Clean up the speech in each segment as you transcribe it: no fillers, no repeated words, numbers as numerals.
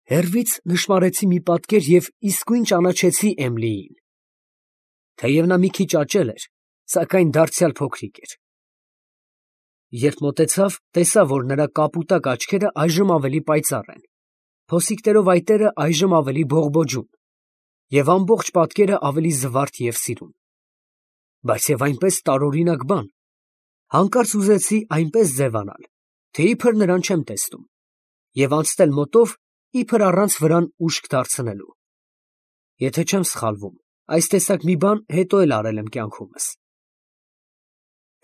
Հեռվից նշմարեցի մի պատկեր և իսկույն ճանաչեցի Էմիլիին. թեև նա մի քիչ աճել էր, սակայն դարձյալ փոքրիկ էր։ Երբ մոտեցավ, տեսա, որ նրա կապուտակ աչքերը այժմ ավելի պայծառ են, փոսիկներով այտերը այժմ ավելի բողբոջուն, և ամբողջ պատկերը ավելի զվարթ և սիրուն։ Բայց և այնպես տարօրինակ բան, հանկարծ ուզեցի այնպես ձևանալ, թե իբր նրան չեմ տեսնում, և անցնել մոտով, իբր առանց վրան ուշք դարձնելու։ Եթե չեմ սխալվում, այս տեսակ մի բան հետո էլ արել եմ կյանքումս։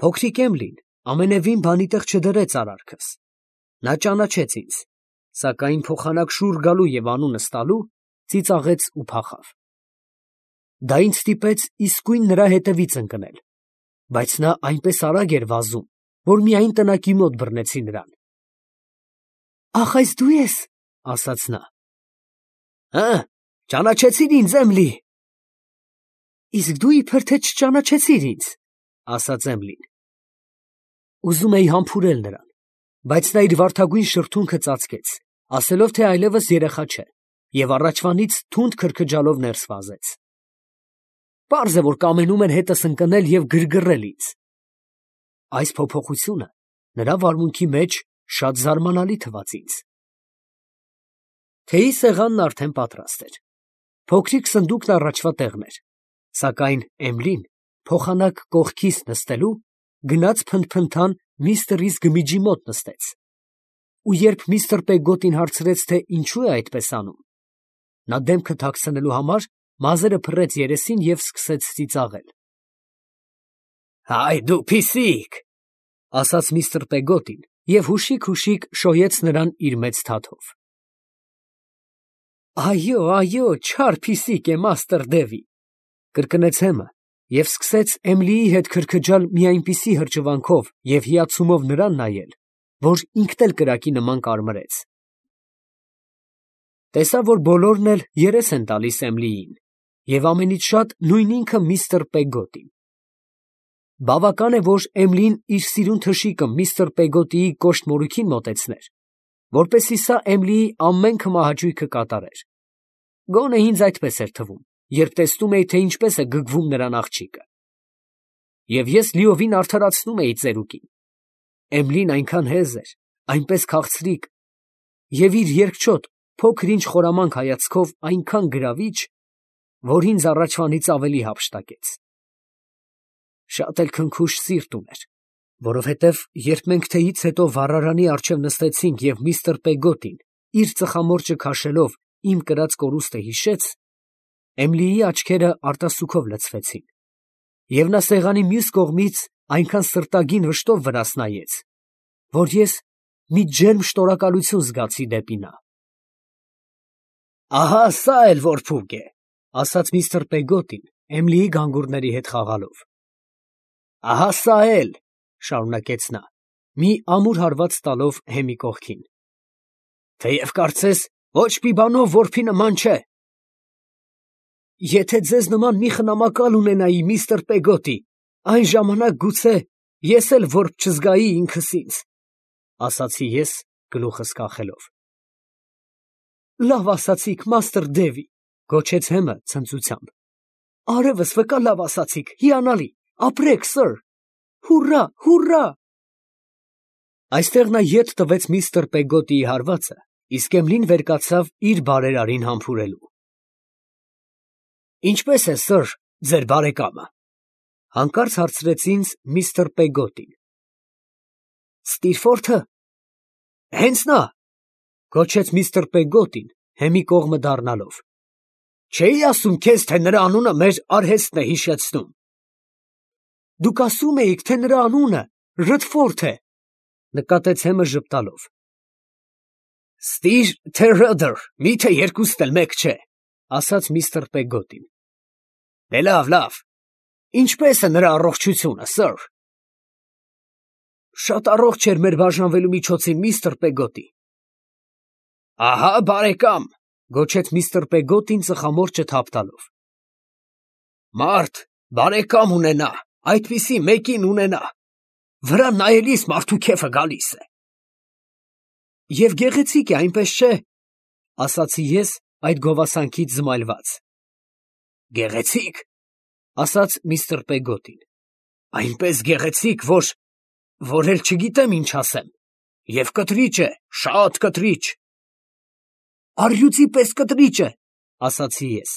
Փոքրիկ Էմիլին ամենևին բանի տեղ չդրեց արարքս։ Նա ճանաչեց ինձ, սակայն փոխանակ շուռ գալու և անունս տալու ծիծաղեց ու փախավ։ Դա ինձ ստիպեց իսկույն նրա հետևից ընկնել, բայց նա այնպես արագ էր վազում, որ միայն տնակի մոտ բռնեցի նրան։ «Ախ, այս դու ես», ֊ ասաց նա։ «Հը, ճանաչեցի՞ր ինձ, Էմիլի»։ «Իսկ դու իբր թե չճանաչեցիր ինձ», ֊ ասաց Էմիլին։ Ուզում էի համբուրել նրան, բայց նա իր վարդագույն շրթունքը ծածկեց, ասելով, թե այլևս երեխա չէ, և առաջվանից թունդ քրքջալով ներս վազեց։ Պարզ է, որ կամենում էր հետս ընկնել և գրգռել ինձ։ Այս փոփոխությունը նրա վարմունքի մեջ շատ զարմանալի թվաց ինձ։ Թեյի սեղանն արդեն պատրաստ էր։ Փոքրիկ սնդուկն առաջվա տեղն էր, սակայն Էմիլին, փոխանակ կողքիս նստելու, գնաց փնթփնթան միստր Ռիս գմիջի մոտ նստեց, ու երբ միստր Պեգոտին հարցրեց, թե ինչու է այդպես անում, նա դեմքը թաքցնելու համար մազերը փռեց երեսին և սկսեց ծիծաղել։ «Հայ դու փիսիկ», ֊ ասաց միստր Պեգոտին և հուշիկ շոյեց նրան իր մեծ թաթով։ «Այո, չար փիսիկ է, մաստր Դևի», ֊ կրկնեց Հեմը և սկսեց Էմիլիի հետ քրքջալ մի այնպիսի հրճվանքով և հիացումով նրան նայել, որ ինքն էլ կրակի նման կարմրեց։ Տեսա, որ բոլորն էլ երես են տալիս Էմիլիին, և ամենից շատ նույն ինքը միստր Պեգոտին։ Բավական է, որ Էմիլին իր սիրուն թշիկը միստր Պեգոտիի կոշտ մորուքին մոտեցներ, որպեսզի սա Էմիլիի ամեն քմահաճույքը կատարեր։ Գոնե ինձ այդպես էր թվում, երբ տեսնում էի, թե ինչպես է գգվում նրան աղջիկը։ Եվ ես լիովին արդարացնում էի ծերուկին։ Էմիլին այնքան հեզ էր, այնպես քաղցրիկ, և իր երկչոտ, փոքր-ինչ խորամանկ հայացքով այնքան գրավիչ, որ ինձ առաջվանից ավելի հափշտակեց։ Շատ էլ քնքուշ սիրտ ուներ, որովհետև երբ մենք թեյից հետո վառարանի առջև նստեցինք և միստր Պեգոտին իր ծխամորճը քաշելով իմ կրած կորուստը հիշեց, Էմիլիի աչքերը արտասուքով լցվեցին, և նա սեղանի մյուս կողմից այնքան սրտագին վշտով վրաս նայեց, որ ես մի ջերմ շնորհակալություն զգացի դեպի նա։ «Ահա սա էլ որ փուկ է», ֊ ասաց միստր Պեգոտին, Էմիլիի գանգուրների հետ խաղալով։ «Ահա սա էլ», ֊ շարունակեց նա, մի ամուր հարված տալով Հեմի կողքին, «թեև կարծես ոչ մի բանով որբի նման չէ»։ «Եթե ձեզ նման մի խնամակալ ունենայի, միստր Պեգոտի, այն ժամանակ գուցե ես էլ որբ չզգայի ինքս ինձ», ֊ ասացի ես գլուխս կախելով։ «Լավ ասացիք, մաստր Դևի», ֊ գոչեց Հեմը ցնծությամբ։ «Արևս վկա լավ ասացիք, հիանալի, ապրեք, սըր, հուռա, հուռա»։ Այստեղ նա ետ տվեց միստր Պեգոտիի հարվածը, իսկ Էմիլին վեր կացավ իր բարերարին համբուրելու։ «Ինչպե՞ս է, սըր, ձեր բարեկամը», ֊ հանկարծ հարցրեց ինձ միստր Պեգոտին։ «Ստիրֆորթը» հենց նա, ֊ գոչեց միստր Պեգոտին, Հեմի կողմը դառնալով։ «Չէի ասում քեզ, թե նրա անունը մեր արհեստն է հիշեցնում»։ «Դուք ասում էիք, թե նրա անունը Ռըդֆորդ է», ֊ նկատեց Հեմը ժպտալով։ «Ստիր, թե Ռըդր, մի՞թե երկուսն էլ մեկ չէ», ֊ ասաց միստր Պեգոտին։ «Դե լավ, ինչպե՞ս է նրա առողջությունը, սըր»։ «Շատ առողջ էր մեր բաժանվելու միջոցին, միստր Պեգոտի»։ «Ահա բարեկամ», ֊ գոչեց միստր Պեգոտին ծխամորճը թափ տալով։ «Մարդ բարեկամ ունենա, այդպիսի մեկին ունենա, վրան նայելիս մարդու քեֆը գալիս է»։ «Եվ գեղեցիկ է, այնպես չէ», ասացի ես այդ գովասանքից զմայլված։ Գեղեցիկ, ասաց միստր Պեգոտին, այնպես գեղեցիկ, որ էլ չգիտեմ ինչ ասեմ, և կտրիչ է, շատ կտրիչ։ Առյուծի պես կտրիչ է, ասացի ես,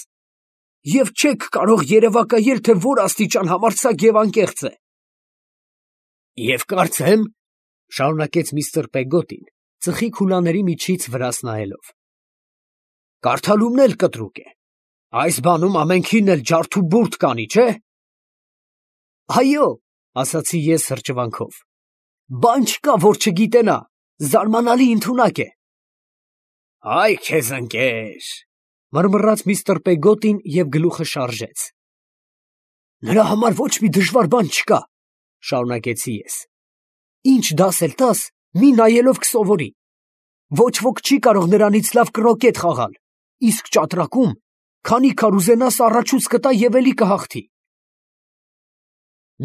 և չեք կարող երևակայել, թե որ աստիճան համարձակ և անկեղծ է։ Եվ կարծեմ, շարունակեց միստր Պեգոտին, ծխի քուլաների միջից վրաս նայելով, կարդալումն էլ կտրուկ է, այս բանում ամենքին էլ ջարդ ու բուրդ կանի, չէ՞։ Այո, ասացի ես հրճվանքով, բան չկա, որ չգիտենա, զարմանալի ընդունակ է։ Այ քեզ ընկեր, մռմռաց միստր Պեգոտին և գլուխը շարժեց։ Նրա համար ոչ մի դժվար բան չկա, շարունակեցի ես։ Ինչ դաս էլ տաս, մի նայելով կսովորի։ Ոչ ոք չի կարող նրանից լավ կրոկետ խաղալ, իսկ ճատրակում, քանի քար ուզենաս առաջուց կտա և էլի կհաղթի։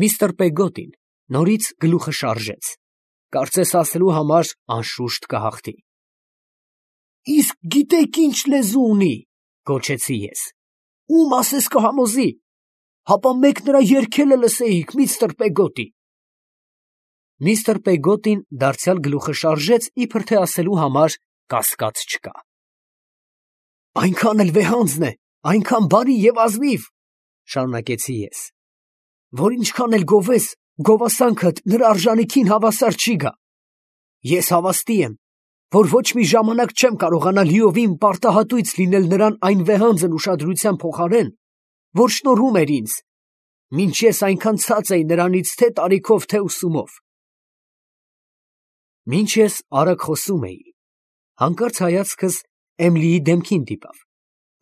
Միստր Պեգոտին նորից գլուխը շարժեց, կարծես ասելու համար անշուշտ կհաղթի։ Իսկ գիտեք ինչ լեզու ունի, գոչեցի ես, ում ասես կհամոզի, հապա մեկ նրա երգելը լսեիք, միստր Պեգոտի։ Միստր Պեգոտին դարձյալ գլուխը շարժեց, իբր թե ասելու համար կասկած չկա։ Այնքան էլ վեհանձն է, այնքան բարի և ազնիվ, շարունակեցի ես, որ ինչքան էլ գովես, գովասանքդ նրա արժանիքին հավասար չի գա։ Ես հավաստի եմ, որ ոչ մի ժամանակ չեմ կարողանա լիովին պարտահատույց լինել նրան այն վեհանձն ուշադրության փոխարեն, որ շնորհում էր ինձ, մինչ ես այնքան ցած էի նրանից թե տարիքով, թե ուսումով։ Մինչ ես արագ խոսում էի, հանկարծ հայացքս Էմիլիի դեմքին դիպավ,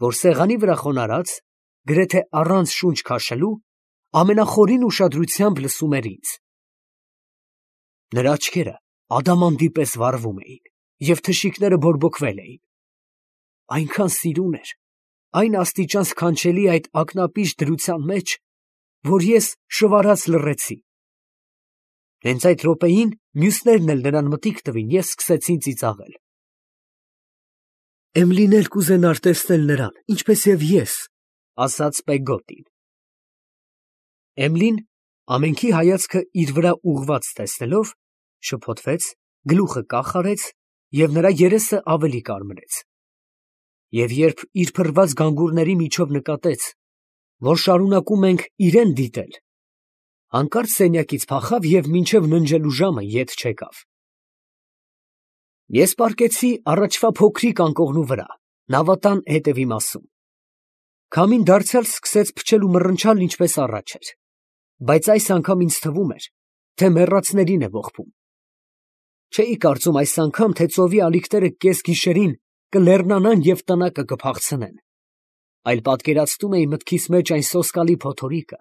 որ սեղանի վրա խոնարհած, գրեթե առանց շունչ քաշելու, ամենախորին ուշադրությամբ լսում էր ինձ։ Նրա աչքերը ադամանդի պես վառվում էին, և թշիկները բորբոքվել էին։ Այնքան սիրուն էր, այն աստիճան սքանչելի այդ ակնապիշ դրության մեջ, որ ես շվարած լռեցի։ Հենց այդ րոպեին մյուսներն էլ նրան մտիկ տվին և սկսեցին ծիծաղել։ Էմիլին էլ կուզենար տեսնել նրան, ինչպես և ես, ասաց Պեգոտին։ Էմիլին, ամենքի հայացքը իր վրա ուղղված տեսնելով, շփոթվեց, գլուխը կախ արեց և նրա երեսը ավելի կարմրեց։ Եվ երբ իր փռված գանգուրների միջով նկատեց, որ շարունակում ենք իրան դիտել, հանկարծ սենյակից փախավ և մինչև ննջելու ժամը ետ չեկավ։ Ես պառկեցի առաջվա փոքրիկ անկողնու վրա, նավատան հետևի մասում։ Քամին դարձյալ սկսեց փչել ու մռնչալ, ինչպես առաջ էր, բայց այս անգամ ինձ թվում էր, թե մեռածներին է ողբում։ Չէի կարծում այս անգամ, թե ծովի ալիքները կեսգիշերին կլեռնանան և տնակը կփախցնեն, այլ պատկերացնում էի մտքիս մեջ այն սոսկալի փոթորիկը,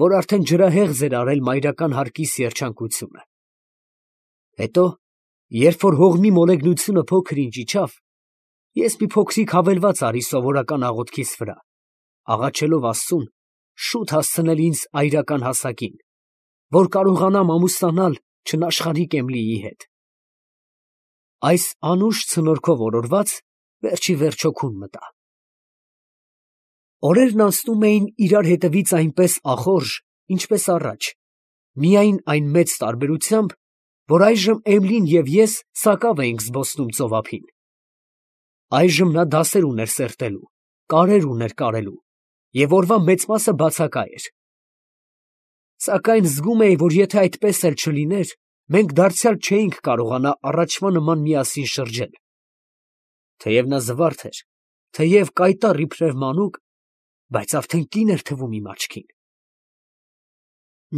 որ արդեն ջրահեղձ էր արել մայրական հարկիս երջանկությունը։ Հետո, երբ որ հողմի մոլեգնությունը փոքր-ինչ իջավ, ես մի փոքրիկ հավելված արի սովորական աղոթքիս վրա, աղաչելով Աստծուն շուտ հասցնել ինձ այրական հասակին, որ կարողանամ ամուսնանալ չնաշխարհիկ Էմիլիի հետ։ Այս անուշ ցնորքով օրորված, վերջի վերջո քուն մտա։ Օրերն անցնում էին իրար հետևից այնպես ախորժ, ինչպես առաջ, միայն այն մեծ տարբերությամբ, որ այժմ Էմիլին և ես սակավ էինք զբոսնում ծով ափին։ Այժմ նա դասեր ուներ սերտելու, կարեր ուներ կարելու, և օրվա մեծ մասը բացակա էր։ Սակայն զգում էի, որ եթե այդպես էլ չլիներ, մենք դարձյալ չէինք կարողանա առաջվա նման միասին շրջել։ Թեև նա զվարթ էր, թեև կայտառ իբրև մանուկ, բայց արդեն կին էր թվում իմ աչքին։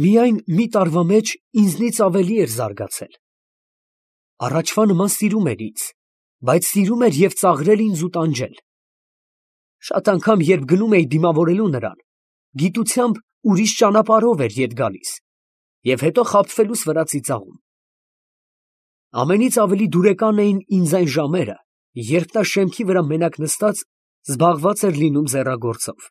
Միայն մի տարվա մեջ ինձնից ավելի էր զարգացել։ Առաջվա նման սիրում էր ինձ, բայց սիրում էր և ծաղրել ինձ ու տանջել։ Շատ անգամ, երբ գնում էի դիմավորելու նրան, գիտությամբ ուրիշ ճանապարհով էր ետ գալիս և հետո խաբվելուց վրա ծիծաղում։ Ամենից ավելի դուրեկան էին ինձ այն ժամերը, երբ նա շեմքի վրա մենակ նստած զբաղված էր լինում ձեռագործով։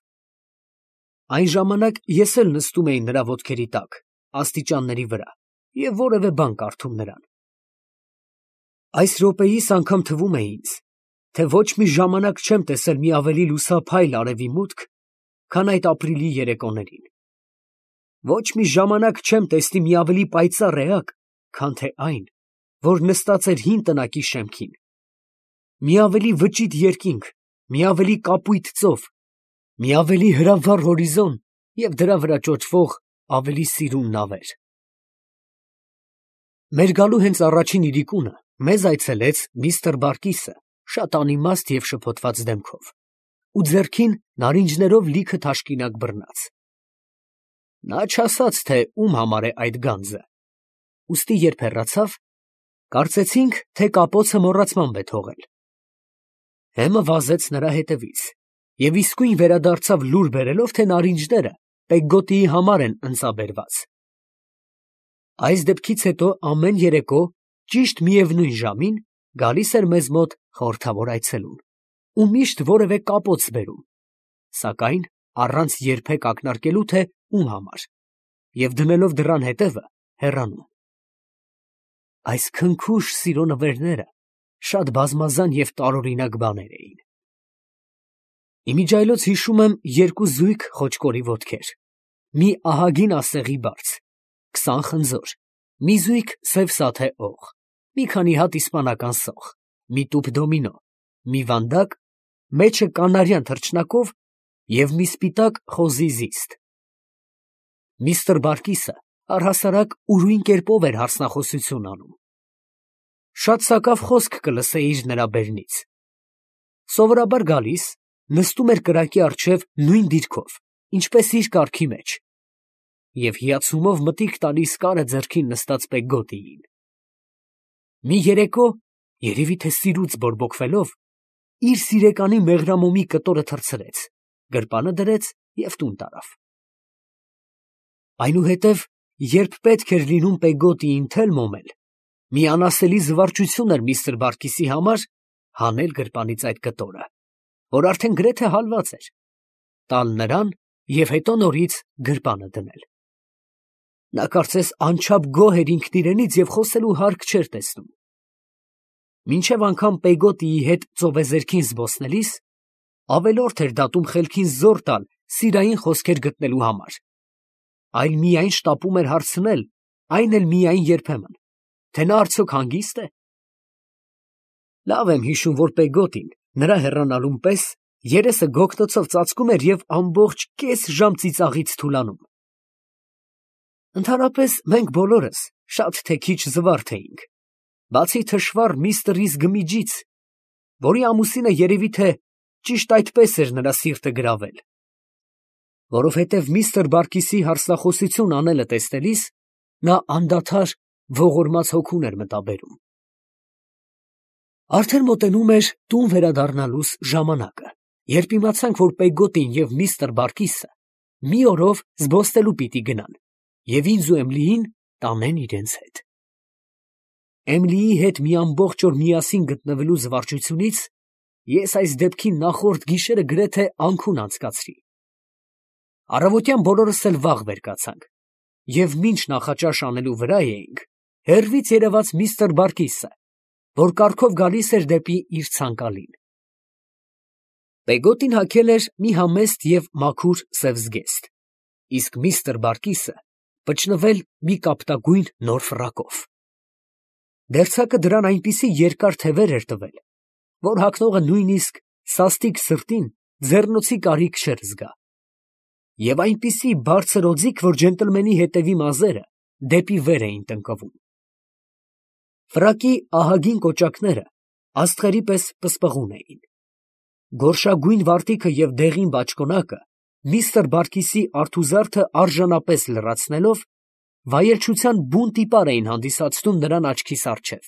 Այն ժամանակ ես էլ նստում էի նրա ոտքերի տակ, աստիճանների վրա և որևէ բան կարդում նրան։ Այս րոպեիս անգամ թվում է ինձ, թե ոչ մի ժամանակ չեմ տեսել մի ավելի լուսափայլ արևի մուտք, քան այդ ապրիլի երեկոներին։ Ոչ մի ժամանակ չեմ տեսնի մի ավելի պայծառ էակ, քան թե այն, որ նստած էր հին տնակի շեմքին։ Մի ավելի վճիտ երկինք, մի ավելի կապույտ ծով, մի ավելի հրավառ հորիզոն և դրա վրա ճոճվող ավելի սիրուն նավեր։ Մեր գալու հենց առաջին իրիկունը մեզ այցելեց միստր Բարկիսը, շատ անիմաստ և շփոթված դեմքով, ու ձեռքին նարինջներով լիքը թաշկինակ բռնած։ Նա չասաց, թե ում համար է այդ գանձը, ուստի երբ հեռացավ, կարծեցինք, թե կապոցը մոռացմամբ է թողել։ Հեմը վազեց նրա հետևից և իսկույն վերադարձավ լուր բերելով, թե նարինջները Պեգգոտիի համար են ընծաբերված։ Այս դեպքից հետո ամեն երեկո ճիշտ միևնույն ժամին գալիս էր մեզ մոտ խորհրդավոր այցելուն ու միշտ որևէ կապոց բերում, սակայն առանց երբեք ակնարկելու, թե ում համար, և դնելով դռան հետևը հեռանում։ Այս քնքուշ սիրո նվերները շատ բազմազան և տարօրինակ բաներ էին։ Իմիջիայլոց հիշում եմ երկու զույգ խոճկորի ոտքեր, մի ահագին ասեղի բարձ, 20 խնձոր, մի զույգ սև սաթե օղ, մի քանի հատ իսպանական սոխ, մի տուփ դոմինո, մի վանդակ, մեջը կանարյան թռչնակով և մի սպիտակ խոզի զիստ։ Միստր Բարկիսը առհասարակ ուրույն կերպով էր հարցնախոսություն անում։ Շատ սակավ խոսք կլսեիր նրա բերնից։ Սովորաբար գալիս, նստում էր կրակի առջև նույն դիրքով, ինչպես իր կարգի մեջ, և հիացումով մտիկ տալիս կարը ձեռքին նստած Պեգգոտիին։ Մի երեկո, երևի թե սիրուց բորբոքվելով, իր սիրեկանի մեղրամոմի կտորը թռցրեց, գրպանը դրեց և տուն տարավ։ Այնուհետև, երբ պետք էր լինում Պեգգոտիին թել մոմել, մի անասելի զվարճություն էր միստր Բարկիսի համար հանել գրպանից այդ կտորը, որ արդեն գրեթե հալված էր, տալ նրան և հետո նորից գրպանը դնել։ Նա կարծես անչափ գոհ էր ինքն իրենից և խոսելու հարկ չէր տեսնում։ Մինչև անգամ Պեգգոտիի հետ ծովեզերքին զբոսնելիս, ավելորդ էր դատում խելքին զոռ տալ սիրային խոսքեր գտնելու համար, այլ միայն շտապում էր հարցնել, այն էլ միայն երբեմն, թե նա արդյոք հանգիստ է։ Լավ եմ հիշում, որ Պեգգոտին նրա հեռանալուն պես երեսը գոգտոցով ծածկում էր և ամբողջ կես ժամ ծիծաղից թուլանում։ Ընդհանրապես մենք բոլորս շատ թե քիչ զվարթ էինք, բացի թշվառ միստր Գմիջից, որի ամուսինը երևի թե ճիշտ այդպես էր նրա սիրտը գրավել, որովհետև միստր Բարկիսի հարցնախոսություն անելը տեսնելիս նա անդադար ողորմած հոգուն էր մտաբերում։ Արդեն մոտենում էր տուն վերադառնալուս ժամանակը, երբ իմացանք, որ Պեգգոտին և միստր Բարկիսը մի օրով զբոսնելու պիտի գնան և ինձ ու Էմիլիին տանեն իրենց հետ։ Էմիլիի հետ մի ամբողջ օր միասին գտնվելու զվարճությունից ես այս դեպքի նախորդ գիշերը գրեթե անքուն անցկացրի։ Առավոտյան բոլորս էլ վաղ վեր կացանք և մինչ նախաճաշ անելու վրա էինք, հեռվից երևաց միստր Բարկիսը, որ կառքով գալիս էր դեպի իր ցանկալին։ Պեգգոտին հագել էր մի համեստ և մաքուր սև զգեստ, իսկ միստր Բարկիսը վճնվել մի կապտագույն նոր ֆրակով։ Դերձակը դրան այնպիսի երկար թևեր էր տվել, որ հագնողը նույնիսկ սաստիկ սրտին ձեռնոցի կարիք չէր զգա, և այնպիսի բարձր օձիք, որ ջենտլմենի հետևի մազերը դեպի վեր էին տնկվում։ Ֆրակի ահագին կոճակները աստղերի պես պսպղուն էին։ Գորշագույն վարտիքը և դեղին բաճկոնակը միստր Բարկիսի արթուզարդը արժանապես լրացնելով, վայելչության բուն տիպար էին հանդիսացնում նրան աչքիս առջև։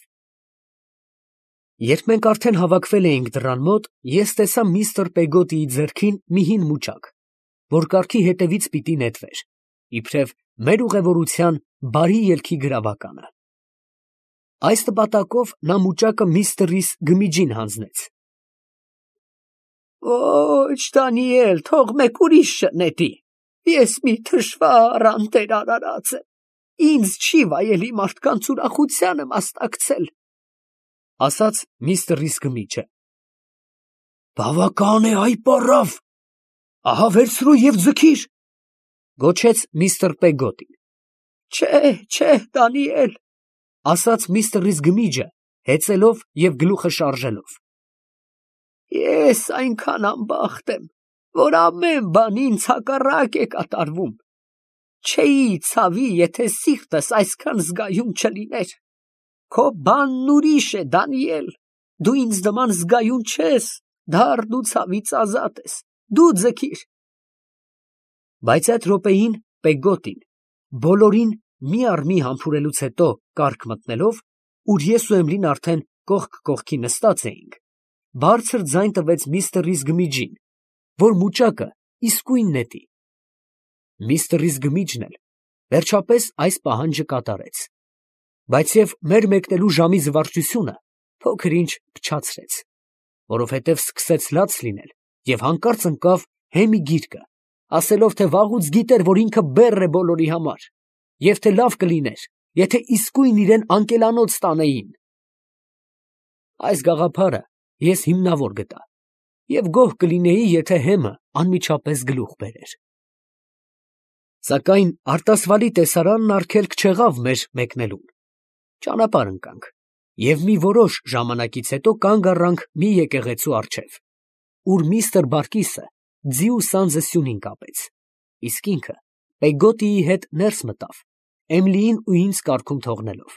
Երբ մենք արդեն հավաքվել էինք դռան մոտ, ես տեսա միստր Պեգգոտիի ձեռքին մի հին մուճակ, որ կառքի հետևից պիտի նետվեր, իբրև մեր ուղևորության բարի ելքի գրավականը։ Այս նպատակով նա մուճակը միստր Գմիջին հանձնեց։ Ոչ, Դանիել, թող մեկ ուրիշը նետի, ես մի թշվառ անտեր արարած եմ, ինձ չի վայելի մարդկանց ուրախությանը մասնակցել, ֊ ասաց միստր Գմիջը։ Բավական է, այ պարավ, ահա վերցրու և ձգիր, գոչեց միստր Պեգոտին։ Չէ, Դանիել, ասաց միստր Ռիզգմիջը, հեծելով և գլուխը շարժելով։ Ես այնքան անբախտ եմ, որ ամեն բան ինձ հակառակ է կատարվում։ Չէի ցավի, եթե սիրտս այսքան զգայուն չլիներ։ Քո բանն ուրիշ է, Դանիել, դու ինձ նման զգայուն չես, դառն ու ցավից ազատ ես, դու ձգիր։ Բայց այդ րոպեին Պեգոտին, բոլորին մի առ մի համբուրելուց հետո կառք մտնելով, ուր ես ու Էմլին արդեն կողք կողքի նստած էինք, բարձր ձայն տվեց միստր Ռիզգմիջին, որ մուճակը իսկույն նետի։ Միստր Ռիզգմիջն էլ վերջապես այս պահանջը կատարեց, բայց և մեր մեկնելու ժամի զվարճությունը փոքր-ինչ փչացրեց, որովհետև սկսեց լաց լինել և հանկարծ ընկավ հեմի գիրկը, ասելով, թե վաղուց գիտեր, որ ինքը բեռ է բոլորի համար, և թե լավ կլիներ, եթե իսկույն իրան անկելանոց տանեին։ Այս գաղափարը ես հիմնավոր գտա և գոհ կլինեի, եթե հեմը անմիջապես գլուխ բերեր։ Սակայն արտասվալի տեսարանն արգելք չեղավ մեր մեկնելուն։ Ճանապարհ ընկանք և մի որոշ ժամանակից հետո կանգ առանք մի եկեղեցու առջև, ուր միստր Բարկիսը ձի ու սանձը սյունին կապեց, իսկ ինքը Պեգոտիի հետ ներս մտավ, Էմլիին ու ինձ կառքում թողնելով։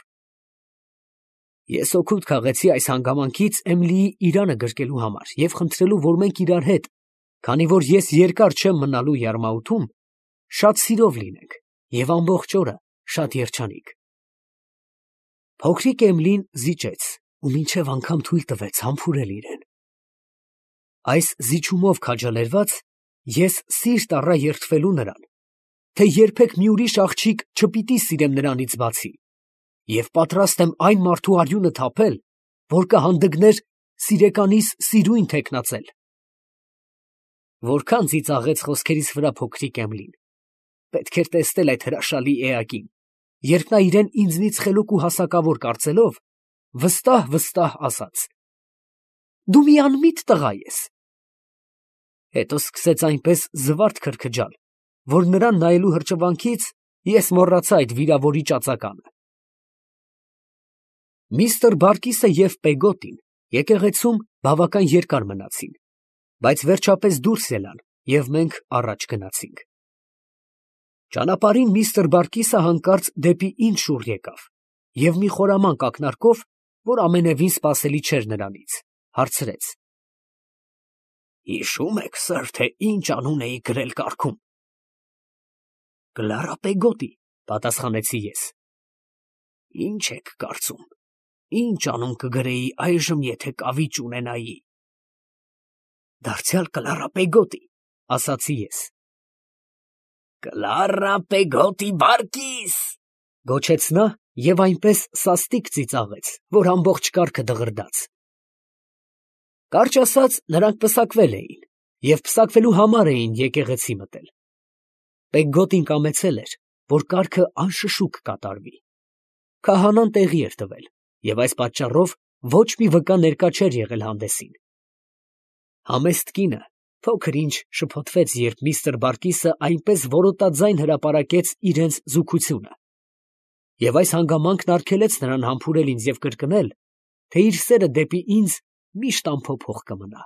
Ես օգուտ քաղեցի այս հանգամանքից Էմլիի իրանը գրկելու համար և խնդրելու, որ մենք իրար հետ, քանի որ ես երկար չեմ մնալու Յարմաութում, շատ սիրով լինենք և ամբողջ օրը շատ երջանիկ։ Փոքրիկ Էմլին զիջեց ու մինչև անգամ թույլ տվեց համբուրել իրեն։ Այս զիջումով քաջալերված, ես սիրտ առա երդվելու նրան, թե երբեք մի ուրիշ աղջիկ չպիտի սիրեմ նրանից բացի, և պատրաստ եմ այն մարդու արյունը թափել, որ կհանդգներ սիրեկանիս սիրույն թեկնածել։ Որքան ծիծաղեց խոսքերիս վրա փոքրիկ Էմլին։ Պետք էր տեսնել այդ հրաշալի էակին, երբ նա իրեն ինձնից խելոք ու հասակավոր կարծելով, վստահ ասաց. «Դու մի անմիտ տղա ես»։ Հետո սկսեց այնպես զվարթ քրքջալ, որ նրան նայելու հրճվանքից ես մոռացա այդ վիրավորիչ ածականը։ Միստր Բարկիսը և Պեգոտին եկեղեցում բավական երկար մնացին, բայց վերջապես դուրս ելան և մենք առաջ գնացինք։ Ճանապարհին միստր Բարկիսը հանկարծ դեպի ինձ շուռ եկավ և մի խորամանկ ակնարկով, որ ամենևին սպասելի չէր նրանից, հարցրեց. «Հիշո՞ւմ եք, սըր, թե ինչ անուն էի գրել կառքում»։ «Կլարա Պեգոտի», պատասխանեցի ես։ «Ինչ եք կարծում, ինչ անուն կգրեի այժմ, եթե կավիճ ունենայի»։ «Դարձյալ Կլարա Պեգոտի», ասացի ես։ «Կլարա Պեգոտի Բարկիս», գոչեց նա և այնպես սաստիկ ծիծաղեց, որ ամբողջ կառքը դղրդաց։ Կարճ ասած, նրանք պսակվել էին և պսակվելու համար էին եկեղեցի մտել։ Պեգոտին կամեցել էր, որ կառքը անշշուկ կատարվի։ Քահանան տեղի էր տվել և այս պատճառով ոչ մի վկա ներկա չէր եղել հանդեսին։ Համեստ կինը փոքր-ինչ շփոթվեց, երբ միստր Բարկիսը այնպես որոտաձայն հրապարակեց իրենց զուգությունը, և այս հանգամանքն արգելեց նրան համբուրել ինձ և կրկնել, թե իր սերը դեպի ինձ միշտ անփոփոխ կմնա։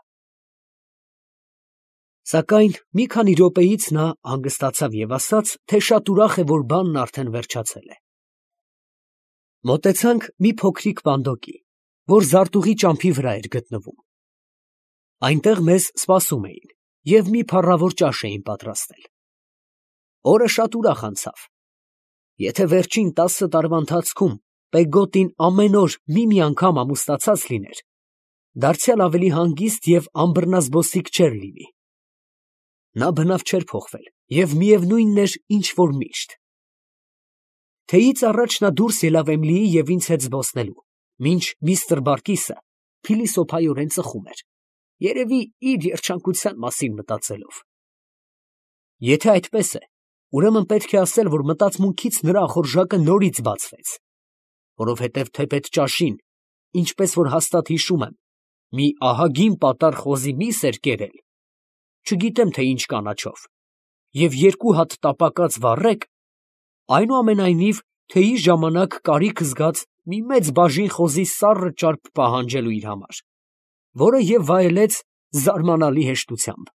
Սակայն մի քանի րոպեից նա հանգստացավ և ասաց, թե շատ ուրախ է, որ բանն արդեն վերջացել է։ Մոտեցանք մի փոքրիկ պանդոկի, որ զարտուղի ճամփի վրա էր գտնվում։ Այնտեղ մեզ սպասում էին և մի փառավոր ճաշ էին պատրաստել։ Օրը շատ ուրախ անցավ։ Եթե վերջին 10 տարվա ընթացքում Պեգոտին ամեն օր մի անգամ ամուսնացած լիներ, դարձյալ ավելի հանգիստ և անբռնազբոսիկ չէր լինի։ Նա բնավ չէր փոխվել և միևնույնն էր, ինչ որ միշտ։ Թեյից առաջ նա դուրս ելավ Էմլիի և ինձ հետ զբոսնելու, մինչ միստր Բարկիսը փիլիսոփայորեն ծխում էր, երևի իր երջանկության մասին մտածելով։ Եթե այդպես է, ուրեմն պետք է ասել, որ մտածմունքից նրա ախորժակը նորից բացվեց, որովհետև թեպետ ճաշին, ինչպես որ հաստատ հիշում եմ, մի ահագին պատառ խոզի միս էր կերել, չգիտեմ թե ինչ կանաչով, և 2 հատ տապակած վառեկ, այնուամենայնիվ թեյի ժամանակ կարիք զգաց մի մեծ բաժին խոզի սառը ճարպ պահանջելու իր համար, որը և վայելեց զարմանալի հեշտությամբ։